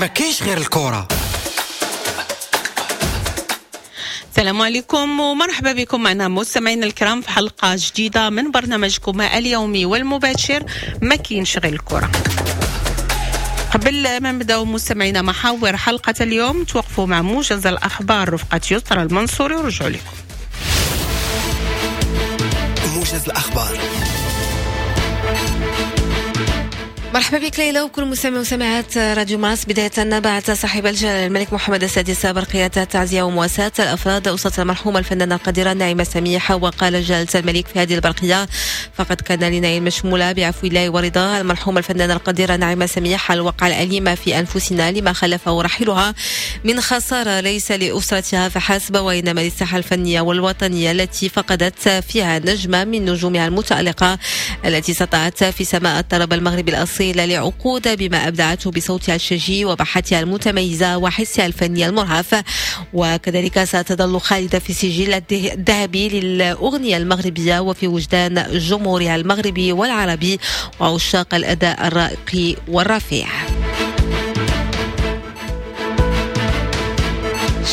ما كاينش غير الكرة. السلام عليكم ومرحبا بكم معنا مستمعينا الكرام في حلقة جديدة من برنامجكم اليومي والمباشر ما كاينش غير الكرة. قبل ما نبداو مستمعينا محاور حلقة اليوم توقفوا مع موجز الأخبار رفقة يسرى المنصوري ورجعوا لكم. موجز الأخبار. مرحبا بك ليلى وكل مستمع وسمعات راديو مارس. بداية بعث صاحب الجلالة الملك محمد السادس برقية تعزية ومواساة الأفراد أسرة المرحومة الفنانة القديرة نعيمة سميح. وقال جلالة الملك في هذه البرقية: فقد كان لنعيم مشمولة بعفو الله ورضاه المرحومة الفنانة القديرة نعيمة سميح الوقعة الأليمة في أنفسنا لما خلفه رحيلها من خسارة ليس لأسرتها فحسب، وإنما للساحة الفنية والوطنية التي فقدت فيها نجمة من نجومها المتألقة التي سطعت في سماء الطرب المغربي الأصيل لعقود بما أبدعته بصوتها الشجي وبحتها المتميزة وحسها الفني المرهف. وكذلك ستظل خالدة في سجل الذهبي للأغنية المغربية وفي وجدان جمهورها المغربي والعربي وعشاق الأداء الرائق والرفيع.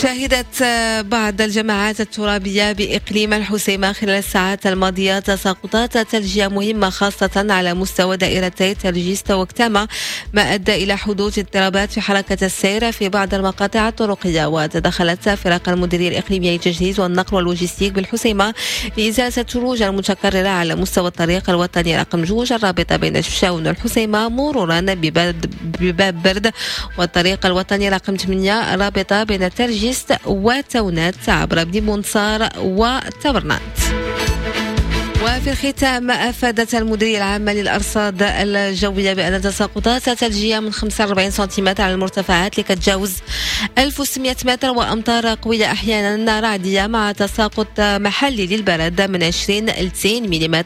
شهدت بعض الجماعات الترابية بإقليم الحسيمة خلال الساعات الماضية تساقطات ثلجية مهمة خاصة على مستوى دائرتي ترجيست وكتامة، ما أدى إلى حدوث اضطرابات في حركة السير في بعض المقاطع الطرقية. وتدخلت فرق المديرية الإقليمية للتجهيز والنقل واللوجستيك بالحسيمة لإزالة الثلوج المتكررة على مستوى الطريق الوطني رقم 2 الرابطة بين شفشاون والحسيمة مرورا بباب برد، والطريق الوطني رقم 8 الرابطة بين ترجيست وتونات عبر بني منصار وتبرنات. وفي الختام أفادت المديرية العامة للأرصاد الجوية بأن تساقطات ثلجية من 45 سنتيمتر على المرتفعات لكتجاوز 1600 متر وأمطار قوية أحيانا رعدية مع تساقط محلي للبرد من 20 إلى 90 ملم،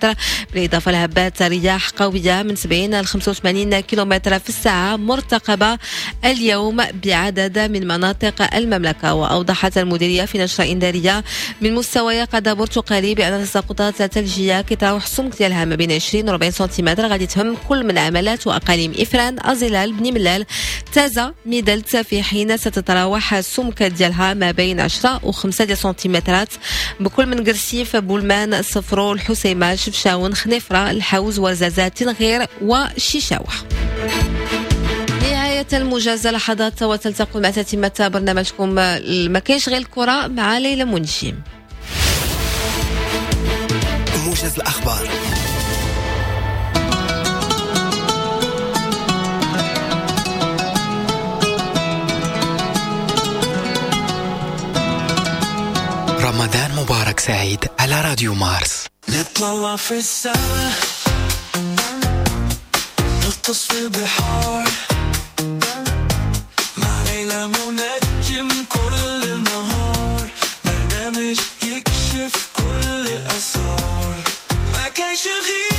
بالإضافة لهبات رياح قوية من 70 إلى 85 كيلومتر في الساعة مرتقبة اليوم بعدد من مناطق المملكة. وأوضحت المديرية في نشرة إنذارية من مستوى يقظة برتقالي بأن تساقطات ثلجية كيتراوح السمك ديالها ما بين 20 و 40 سنتيمتر غادي تهم كل من عملات واقاليم افران، ازيلال، بني ملال، تازا، ميدلت، في حين ستتراوح السمك ديالها ما بين 10 و 5 سنتيمترات بكل من قرسيف، بولمان، صفرو، الحسيمه، شفشاون، خنيفره، الحوز، ورزازات، تنغير وشيشاوه. نهاية الموجز لحظات وتلتقوا مع تتمة برنامجكم ما كاينش غير الكرة مع ليلى منجم. موجز الأخبار. رمضان مبارك سعيد على راديو مارس. نطلع في السماء، نغطس في البحار، مع ليلى منجم كل النهار، برنامج يكشف كل الأسرار. ما كانش غير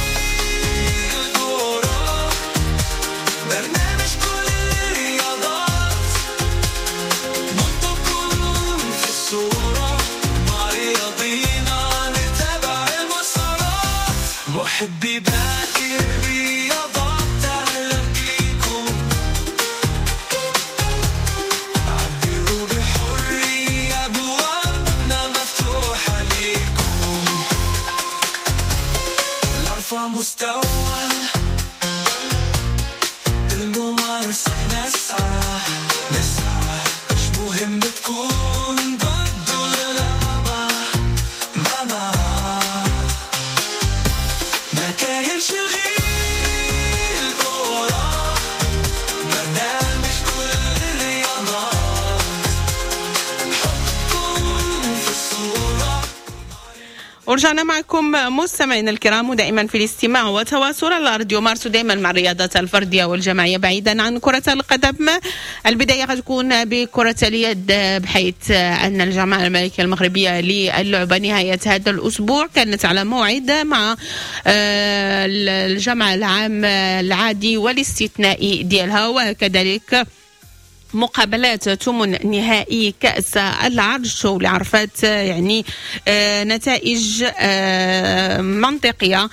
الكورة، برنامج كل الرياضات، نحطكم في الصورة، مع رياضينا نتابع المسارات، محبي باقي الرياضات أهلا بيكم، عبروا بحرية أبوابنا مفتوحة ليكم، نرفع مستوى الممارسة، نسعى نسعى مش مهم تكون ضد ولا مع، ما كاينش غير الكورة، برنامج كل الرياضات، حطكم في الصورة. ورجعنا معكم مستمعينا الكرام ودائما في الاستماع وتواصل على راديو مارس، ودائما مع الرياضات الفردية والجماعيه بعيدا عن كره القدم. البداية غتكون بكره اليد، بحيث ان الجامعة الملكية المغربية للعبة نهاية هذا الاسبوع كانت على موعد مع الجمع العام العادي والاستثنائي ديالها، وكذلك مقابلات ثمن نهائي كأس العرش، واللي عرفت يعني نتائج منطقية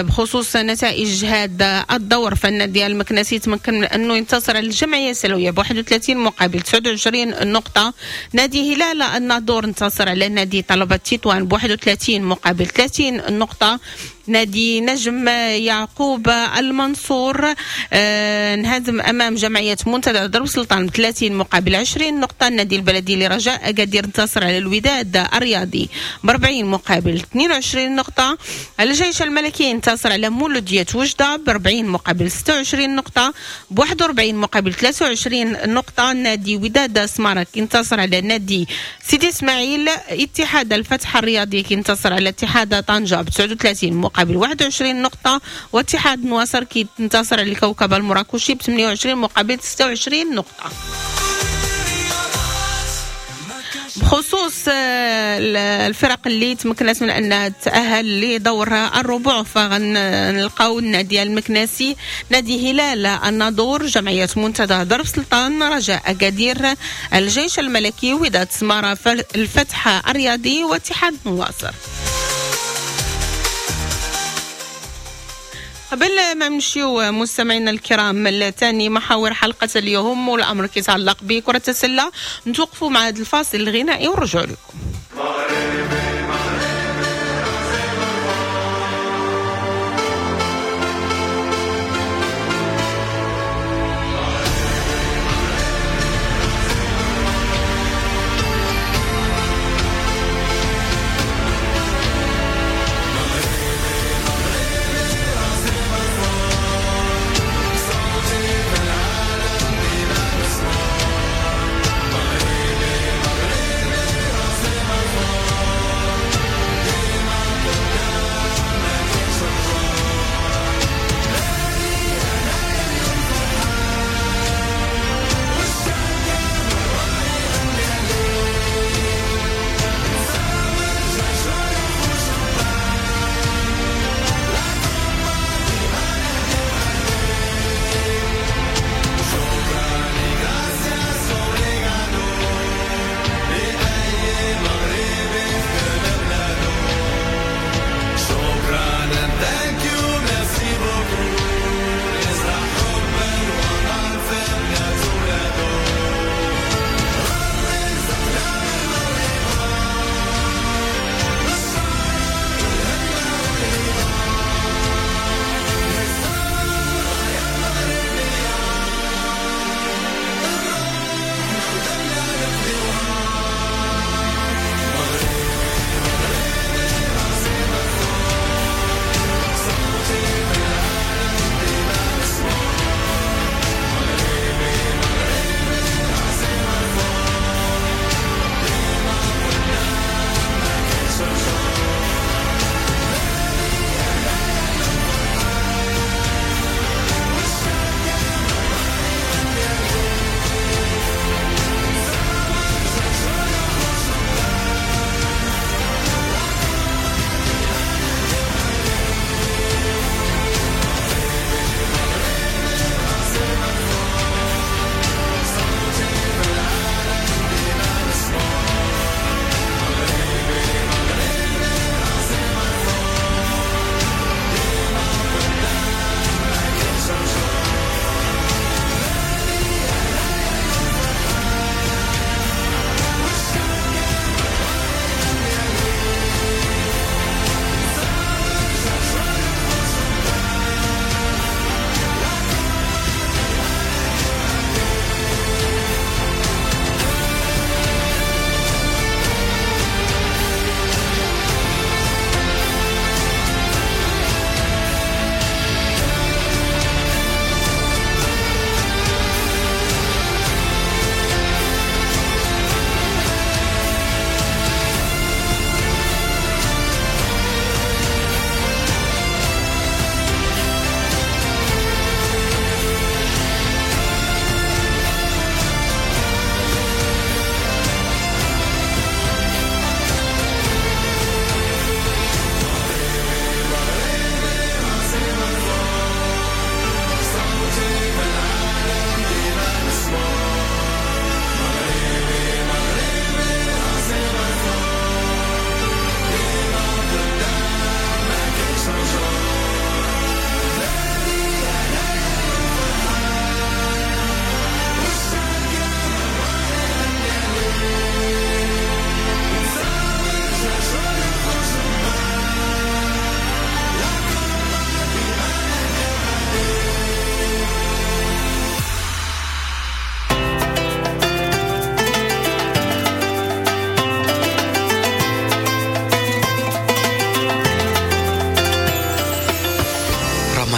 بخصوص نتائج هذا الدور. فالنادي المكناسي تمكن من أنه ينتصر على الجمعية السلوية ب 31 مقابل 29 نقطة. نادي هلال الناظور انتصر على نادي طلبة تطوان ب 31 مقابل 30 نقطة. نادي نجم يعقوب المنصور انهزم امام جمعية منتدى درب سلطان ب 30 مقابل 20 نقطة. النادي البلدي لرجاء اكادير انتصر على الوداد الرياضي ب 40 مقابل 22 نقطة. الجيش الملكي انتصر على مولوديه وجده ب 40 مقابل 26 نقطة، ب 41 مقابل 23 نقطة. نادي وداد سمارة انتصر على نادي سيدي اسماعيل. اتحاد الفتح الرياضي انتصر على اتحاد طنجه ب 39 مقابل 21 نقطة، واتحاد نواصر كينتصر على الكوكب المراكشي ب 28 مقابل 26 نقطة. بخصوص الفرق اللي تمكنت من أنها تتأهل لدور الربع، فغنلقاو النادي المكناسي، نادي هلال الناظور، جمعية منتدى درب سلطان، رجاء أكادير، الجيش الملكي، وداد سمارة، الفتح الرياضي، واتحاد نواصر. قبل ما نمشيو مستمعينا الكرام لثاني محاور حلقة اليوم والأمر كيتعلق بكرة السلة، نتوقفوا مع هذا الفاصل الغنائي ونرجعوا لكم.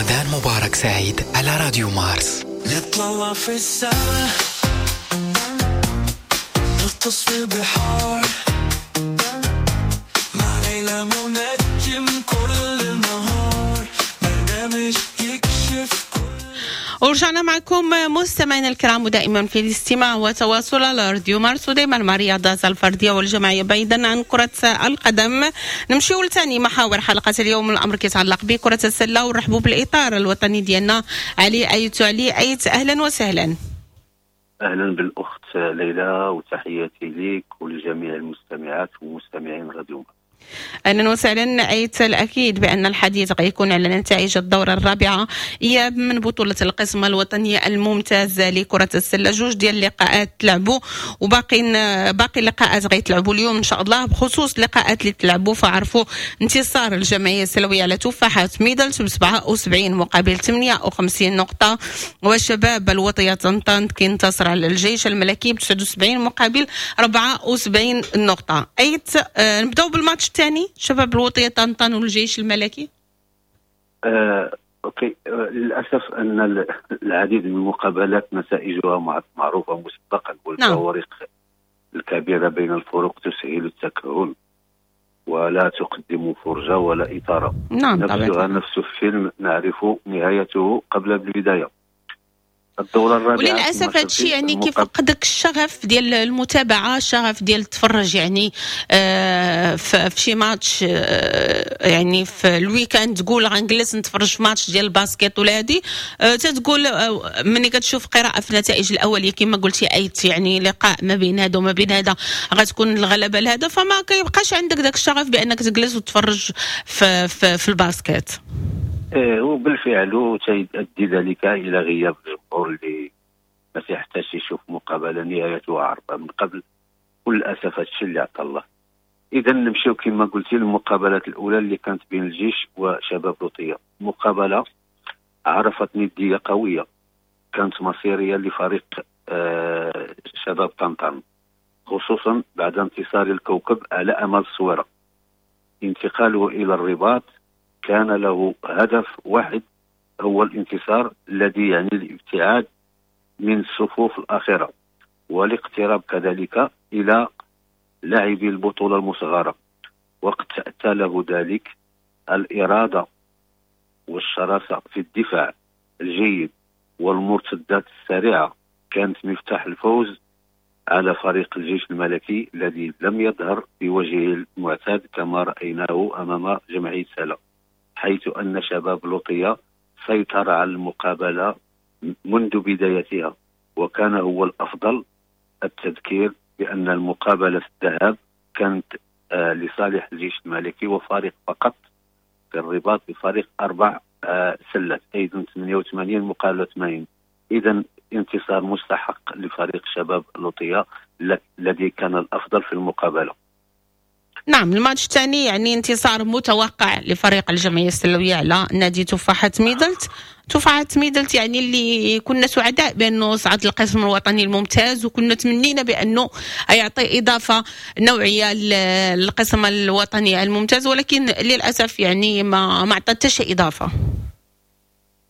رمضان مبارك سعيد على راديو مارس. نطلع في السما، نغطس في البحار، مع ليلى منجم كل النهار، برنامج يكشف. ورجعنا معكم مستمعينا الكرام، ودائما في الاستماع وتواصل على راديو مارس، ودائما مع الرياضات الفردية والجماعيه بعيدا عن كره القدم. نمشيو لثاني محاور حلقة اليوم، الامر كيتعلق بكره السلة، ونرحبوا بالاطار الوطني ديالنا علي ايت. علي ايت، اهلا وسهلا. اهلا بالاخت ليلى، وتحياتي لك ولجميع المستمعات ومستمعين راديو مارس. اهلا وسهلا ايت. الاكيد بان الحديث غيكون على نتائج الدورة الرابعة اياب من بطوله القسم الوطني الممتاز لكرة السلة. جوج ديال اللقاءات تلعبوا وباقي باقي اللقاءات غيتلعبوا اليوم ان شاء الله. بخصوص اللقاءات اللي تلعبوا، فعرفوا انتصار الجمعية السلويه على تفاحة ميدلت ب 77 مقابل 58 نقطه، والشباب الوطنية طنطان كينتصر على الجيش الملكي ب 79 مقابل 74 نقطة. ايت، نبداو بالماتش الثاني، شباب الوطية طنطان والجيش الملكي. OK، للاسف ان العديد من المقابلات نتائجها معروفة مسبقا، والفوارق الكبيرة بين الفرق تسهل التكهن ولا تقدم فرجه ولا اثاره. نفسها نفس الفيلم نعرف نهايته قبل البدايه. الدورة الرابعه. وللاسف هذا الشيء يعني كيفقدك الشغف ديال المتابعه، الشغف ديال التفرج يعني في شي ماتش، يعني في ال week-end تقول غنجلس نتفرج في ماتش ديال ال basket ولا هادي، تتقول ملي كتشوف قراءة في النتائج الاولية كما قلتي ايت، يعني لقاء ما بين هذا وما بين هذا غتكون الغلبة لهذا، فما كيبقاش عندك داك الشغف بانك تجلس وتتفرج في ال basket. وبالفعل وتؤدي ذلك الى غياب الجمهور اللي ما تيحتاجش يشوف مقابله نهايتها عارفه من قبل، وللاسف هادشي اللي عطى الله. اذا نمشيو كما قلتي للمقابلات الاولى اللي كانت بين الجيش وشباب لوطيه، مقابله عرفت نديه قوية كانت مصيرية لفريق شباب طنطان، خصوصا بعد انتصار الكوكب على امل الصويره. انتقاله الى الرباط كان له هدف واحد هو الانتصار الذي يعني الابتعاد من الصفوف الأخيرة والاقتراب كذلك إلى لاعبي البطولة المصغرة، وقد تأتى له ذلك الإرادة والشراسة في الدفاع الجيد والمرتدات السريعة كانت مفتاح الفوز على فريق الجيش الملكي الذي لم يظهر بوجهه المعتاد كما رأيناه أمام جمعية سلا، حيث أن شباب لوطية سيطر على المقابلة منذ بدايتها وكان هو الأفضل. التذكير بأن المقابلة في الذهاب كانت لصالح الجيش الملكي وفارق فقط في الرباط بفارق 4 سلات، أيضا 88 مقابلة 80. إذا انتصار مستحق لفريق شباب لوطية الذي كان الأفضل في المقابلة. نعم، الماتش الثاني يعني انتصار متوقع لفريق الجمعية السلوية على نادي تفاحة ميدلت. تفاحة ميدلت يعني اللي كنا سعداء بأنه صعد القسم الوطني الممتاز، وكنا تمنينا بأنه يعطي إضافة نوعية للقسم الوطني الممتاز، ولكن للأسف يعني ما عطى حتى شي إضافة.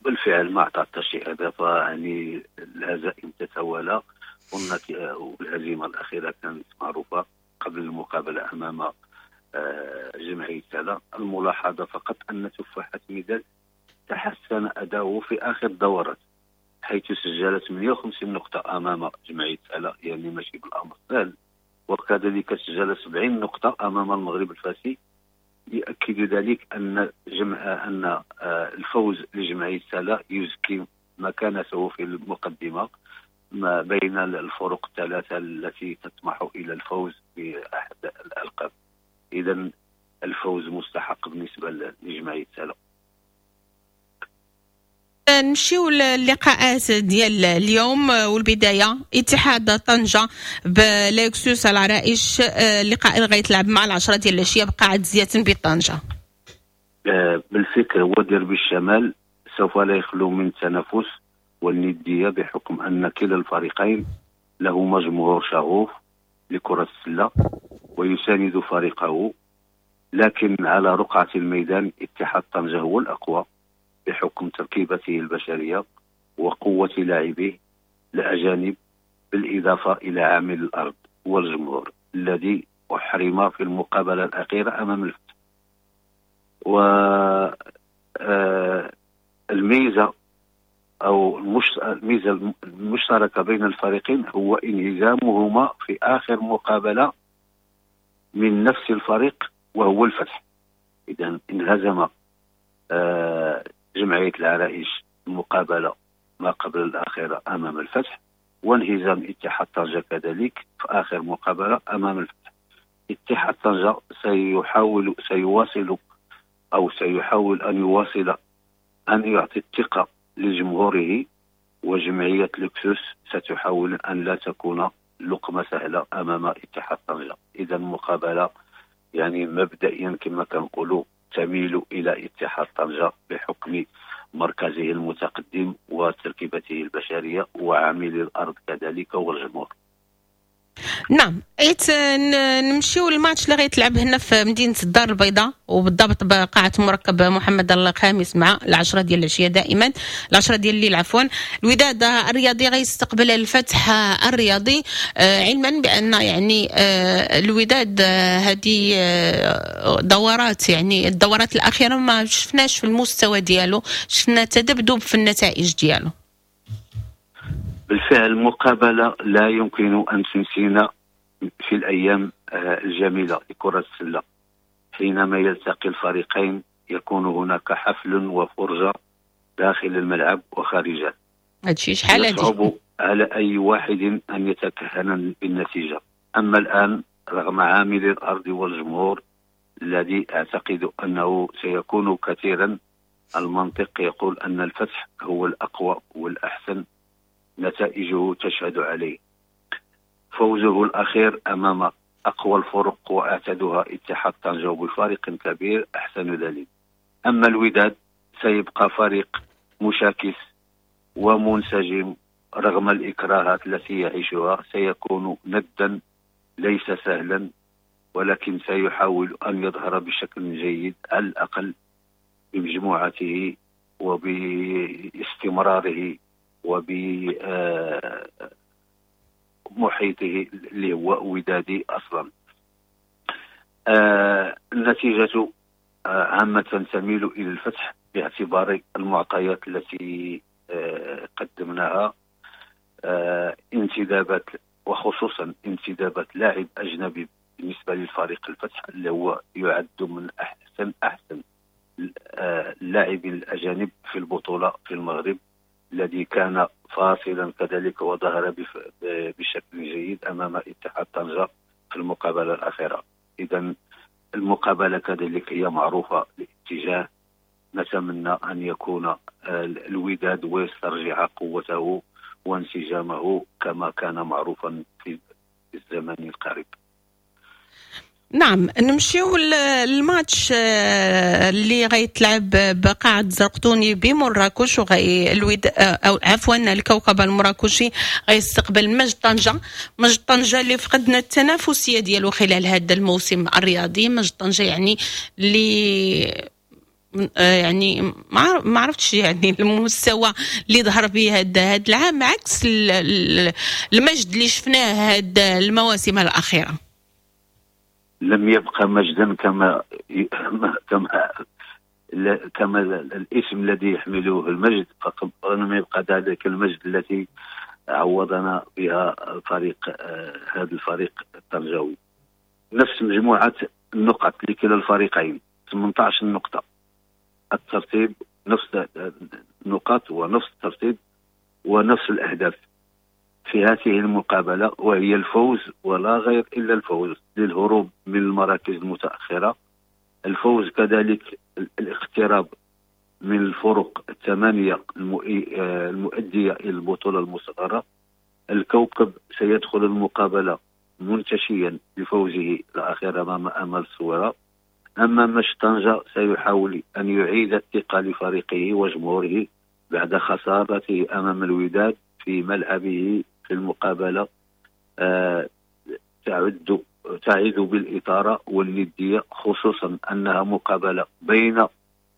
بالفعل ما عطى حتى شي إضافة، يعني الهزائم تتوالى، والهزيمة الأخيرة كانت معروفة قبل المقابلة أمام جمعية سلا. الملاحظة فقط أن تفاحة ميدلت تحسن أداؤه في آخر الدورات، حيث سجلت 58 نقطة أمام جمعية سلا، يعني ماشي بالأمر سهل، وكذلك سجل 70 نقطة أمام المغرب الفاسي. يؤكد ذلك أن الفوز لجمعية سلا يزكي مكانته في المقدمة ما بين الفرق الثلاثة التي تطمح إلى الفوز بأحد الألقاب. إذا الفوز مستحق بالنسبة لجمعية سلا. نمشيو للقاءات ديال اليوم، والبداية اتحاد طنجة بليكسوس العرائش، اللقاء اللي غيتلعب مع 10 ديال العشية بقاعة زياتن بطنجة. بالفكر هو ديربي الشمال سوف لا يخلو من التنافس والندية، بحكم أن كلا الفريقين لهما جمهور شغوف لكرة السلة ويساند فريقه، لكن على رقعة الميدان اتحاد طنجة هو الأقوى. بحكم تركيبته البشرية وقوة لاعبيه الأجانب، بالإضافة إلى عامل الأرض والجمهور الذي أحرم في المقابلة الأخيرة أمام الفتح. والميزة أو الميزة المشتركة بين الفريقين هو انهزامهما في آخر مقابلة من نفس الفريق وهو الفتح. إذا انهزم جمعية العرائش المقابلة ما قبل الأخيرة أمام الفتح، وانهزام اتحاد طنجة كذلك في آخر مقابلة أمام الفتح. اتحاد طنجة سيواصل أو سيحاول أن يواصل أن يعطي الثقة لجمهوره، وجمعية لوكسوس ستحاول أن لا تكون لقمة سهلة أمام اتحاد طنجة. إذا مقابلة يعني مبدئيا كما كنقولوا تميل إلى اتحاد طنجة بحكم مركزه المتقدم وتركيبته البشرية وعامل الأرض كذلك والجمهور. نعم، نمشيو للماتش اللي غيتلعب هنا في مدينة الدار البيضاء، وبالضبط بقاعة مركب محمد الخامس مع 10 ديال العشية، دائما 10 ديال الليل عفوا. الوداد الرياضي غيستقبل الفتح الرياضي، علما بأن يعني الوداد هذه دورات، يعني الدورات الأخيرة ما شفناش في المستوى ديالو، شفنا تذبذب في النتائج ديالو. بالفعل المقابلة لا يمكن أن تنسينا في الأيام الجميلة لكرة السلة، حينما يلتقي الفريقين يكون هناك حفل وفرجة داخل الملعب وخارجه. هادشي شحال هادي يصعب على أي واحد أن يتكهن بالنتيجة. أما الآن رغم عامل الأرض والجمهور الذي أعتقد أنه سيكون كثيرا، المنطق يقول أن الفتح هو الأقوى والأحسن، نتائجه تشهد عليه. فوزه الأخير أمام أقوى الفرق وأعتدها اتحاد طنجة بفارق كبير أحسن دليل. أما الوداد سيبقى فريق مشاكس ومنسجم رغم الإكراهات التي يعيشها، سيكون ندا ليس سهلا، ولكن سيحاول أن يظهر بشكل جيد على الأقل بمجموعته وباستمراره وبمحيطه اللي هو ودادي أصلا. النتيجة عامة تميل إلى الفتح باعتبار المعطيات التي قدمناها، انتدابات وخصوصا انتدابات لاعب أجنبي بالنسبة للفريق الفتح اللي هو يعد من أحسن اللاعبين الأجانب في البطولة في المغرب، الذي كان فاصلا كذلك وظهر بشكل جيد أمام اتحاد طنجة في المقابلة الأخيرة. إذا المقابلة كذلك هي معروفة الاتجاه، نتمنى أن يكون الوداد ويسترجع قوته وانسجامه كما كان معروفا في الزمن القريب. نعم، نمشيو للماتش اللي غيتلعب بقاعة زرقطوني بمراكش، وغي الود او عفوا الكوكب المراكشي غيستقبل مجد طنجة. مجد طنجة اللي فقدنا التنافسية ديالو خلال هذا الموسم الرياضي. مجد طنجة يعني اللي يعني ما عرفتش يعني المستوى اللي ظهر به هذا العام عكس المجد اللي شفناه هذا المواسم الأخيرة. لم يبقى مجدا كما كما كما الاسم الذي يحمله المجد، فلم يبقى ذلك المجد التي عوضنا بها فريق هذا الفريق الطنجاوي. نفس مجموعة النقط لكلا الفريقين 18 نقطة، الترتيب نفس النقاط ونفس الترتيب ونفس الأهداف في هذه المقابلة، وهي الفوز ولا غير إلا الفوز للهروب من المراكز المتأخرة، الفوز كذلك الاقتراب من الفرق الثمانية المؤدية إلى البطولة المصغرة. الكوكب سيدخل المقابلة منتشيا بفوزه الأخير أمام أمل الصويرة. أما مش طنجة سيحاول أن يعيد الثقة لفريقه وجمهوره بعد خسارته أمام الوداد في ملعبه في المقابلة تعد بالإثارة والندية، خصوصا أنها مقابلة بين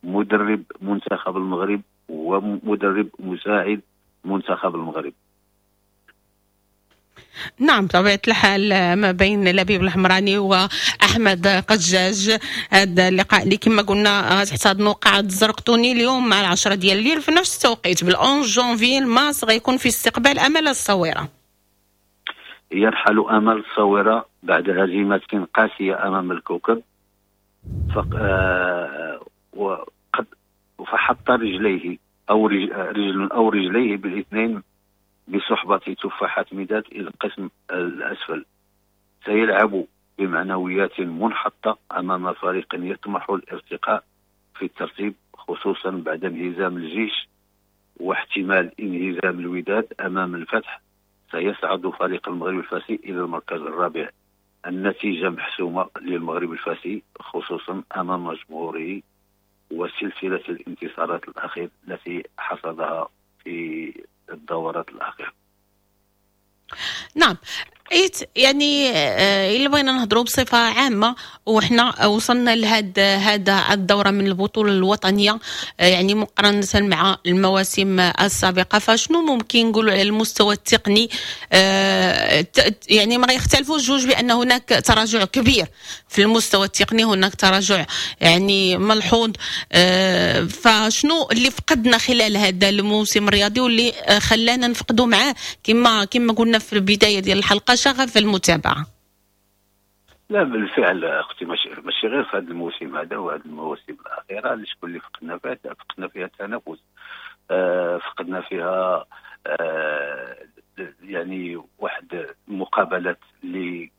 مدرب منتخب المغرب ومدرب مساعد منتخب المغرب. نعم بطبيعة الحال ما بين لبيب الحمراني وأحمد قجاج، هذا اللقاء اللي كما قلنا تحتضنوا قاعة الزرقطوني اليوم مع 10 ديال الليل في نفس التوقيت بال 11 جونفي. الماس غيكون في استقبال أمل الصويرة. يرحل أمل الصويرة بعد هزيمة قاسية أمام الكوكب، فحط رجليه أو رجل أو رجليه بالاثنين بصحبة تفاحة ميداد إلى القسم الأسفل. سيلعب بمعنويات منحطة أمام فريق يطمح الارتقاء في الترتيب، خصوصا بعد انهزام الجيش واحتمال انهزام الوداد أمام الفتح. سيصعد فريق المغرب الفاسي إلى المركز الرابع. النتيجة محسومة للمغرب الفاسي خصوصا أمام جمهوره وسلسلة الانتصارات الأخيرة التي حصدها في الدورات الأخيرة. نعم، يعني إلا بغينا نهضروا بصفة عامة وحنا وصلنا لهذا الدورة من البطولة الوطنية، يعني مقارنة مع المواسم السابقة، فشنو ممكن نقولوا على المستوى التقني؟ يعني ما غيختلفوش جوج بأن هناك تراجع كبير في المستوى التقني، هناك تراجع يعني ملحوظ. فشنو اللي فقدنا خلال هذا الموسم الرياضي واللي خلانا نفقدوا معاه كما قلنا في البداية ديال الحلقة شغف المتابعة؟ لا بالفعل اختي، ماشي غير في هذا الموسم هذا وهذه المواسم الاخيرة اللي شكون اللي فقدنا فيها، فقدنا فيها التنافس، فقدنا فيها يعني واحد المقابلات اللي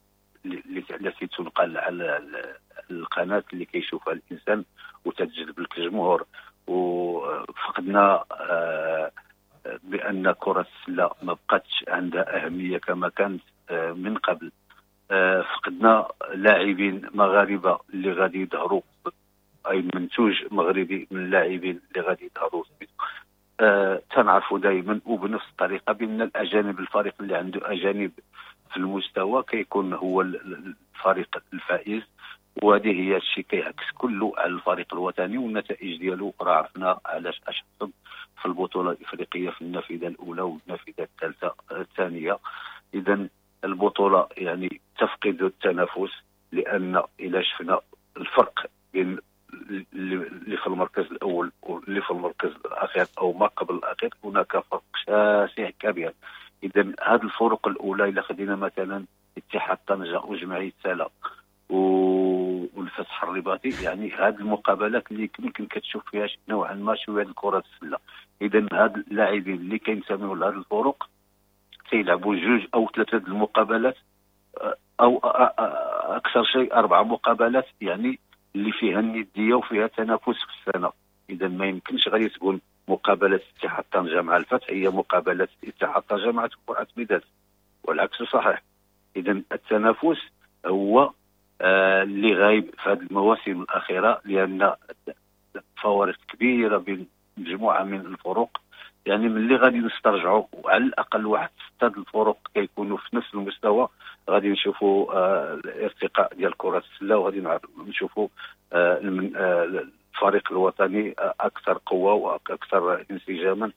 التي تنقل على القناة اللي كيشوفها الانسان وتجذب لك الجمهور. وفقدنا بان كره السلة ما بقاتش عندها اهمية كما كانت من قبل. فقدنا لاعبين مغاربة اللي غادي يظهروا، اي منتوج مغربي من اللاعبين اللي غادي يظهروا. تنعرفوا دائما وبنفس الطريقة بان الاجانب، الفريق اللي عنده اجانب في المستوى كيكون هو الفريق الفائز، وهذه هي الشيء كيعكس كله على الفريق الوطني والنتائج ديالو. راه عرفنا علاش اش حصل في البطولة الافريقية في النافذة الاولى والنافذه الثالثة الثانية. اذا البطولة يعني تفقد التنافس، لان الى شفنا الفرق بين اللي في المركز الاول واللي في المركز الاخير او ما قبل الاخير، هناك فرق شاسع كبير. اذا هذه الفروق الاولى الى خدينا مثلا اتحاد طنجه وجمعية سلا والفتح الرباطي، يعني هذه المقابلات اللي يمكن كتشوف فيها نوعا ما شوية الكره السلة. اذا هاد اللاعبين اللي كينتميو لهاد الفروق تيلعبوا جوج او ثلاثة المقابلات او اكثر شيء 4 مقابلات، يعني اللي فيها الندية وفيها تنافس في السنة. اذا ما يمكنش غادي تكون مقابله اتحاد طنجه مع الفتح هي مقابله اتحاد طنجه مع تفاحة ميداد، والعكس صحيح. اذا التنافس هو اللي غايب في هذه المواسم الاخيرة، لان فوارق كبيرة بين مجموعة من الفروق. يعني ملي غادي نسترجعوا على الاقل واحد 6 الفروق كيكونوا في نفس المستوى، غادي نشوفوا الارتقاء ديال كره السلة، وغادي نشوفوا الفريق الوطني اكثر قوة واكثر انسجاما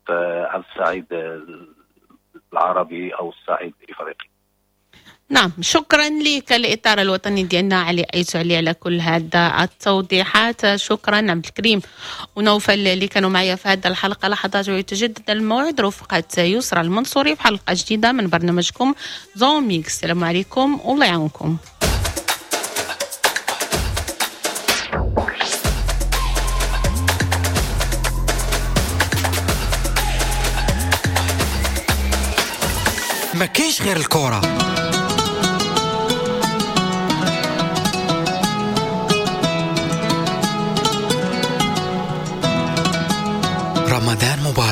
على الصعيد العربي او الصعيد الافريقي. نعم، شكرا لك الإطار الوطني ديالنا علي أيت علي على كل هذا التوضيحات. شكرا عبد الكريم ونوفل اللي كانوا معايا في هذه الحلقة. لحظات ويتجدد الموعد رفقة يسرى المنصوري في حلقة جديدة من برنامجكم Zone Mixte. السلام عليكم والله يعاونكم. ما كاينش غير الكرة. رمضان مبارك.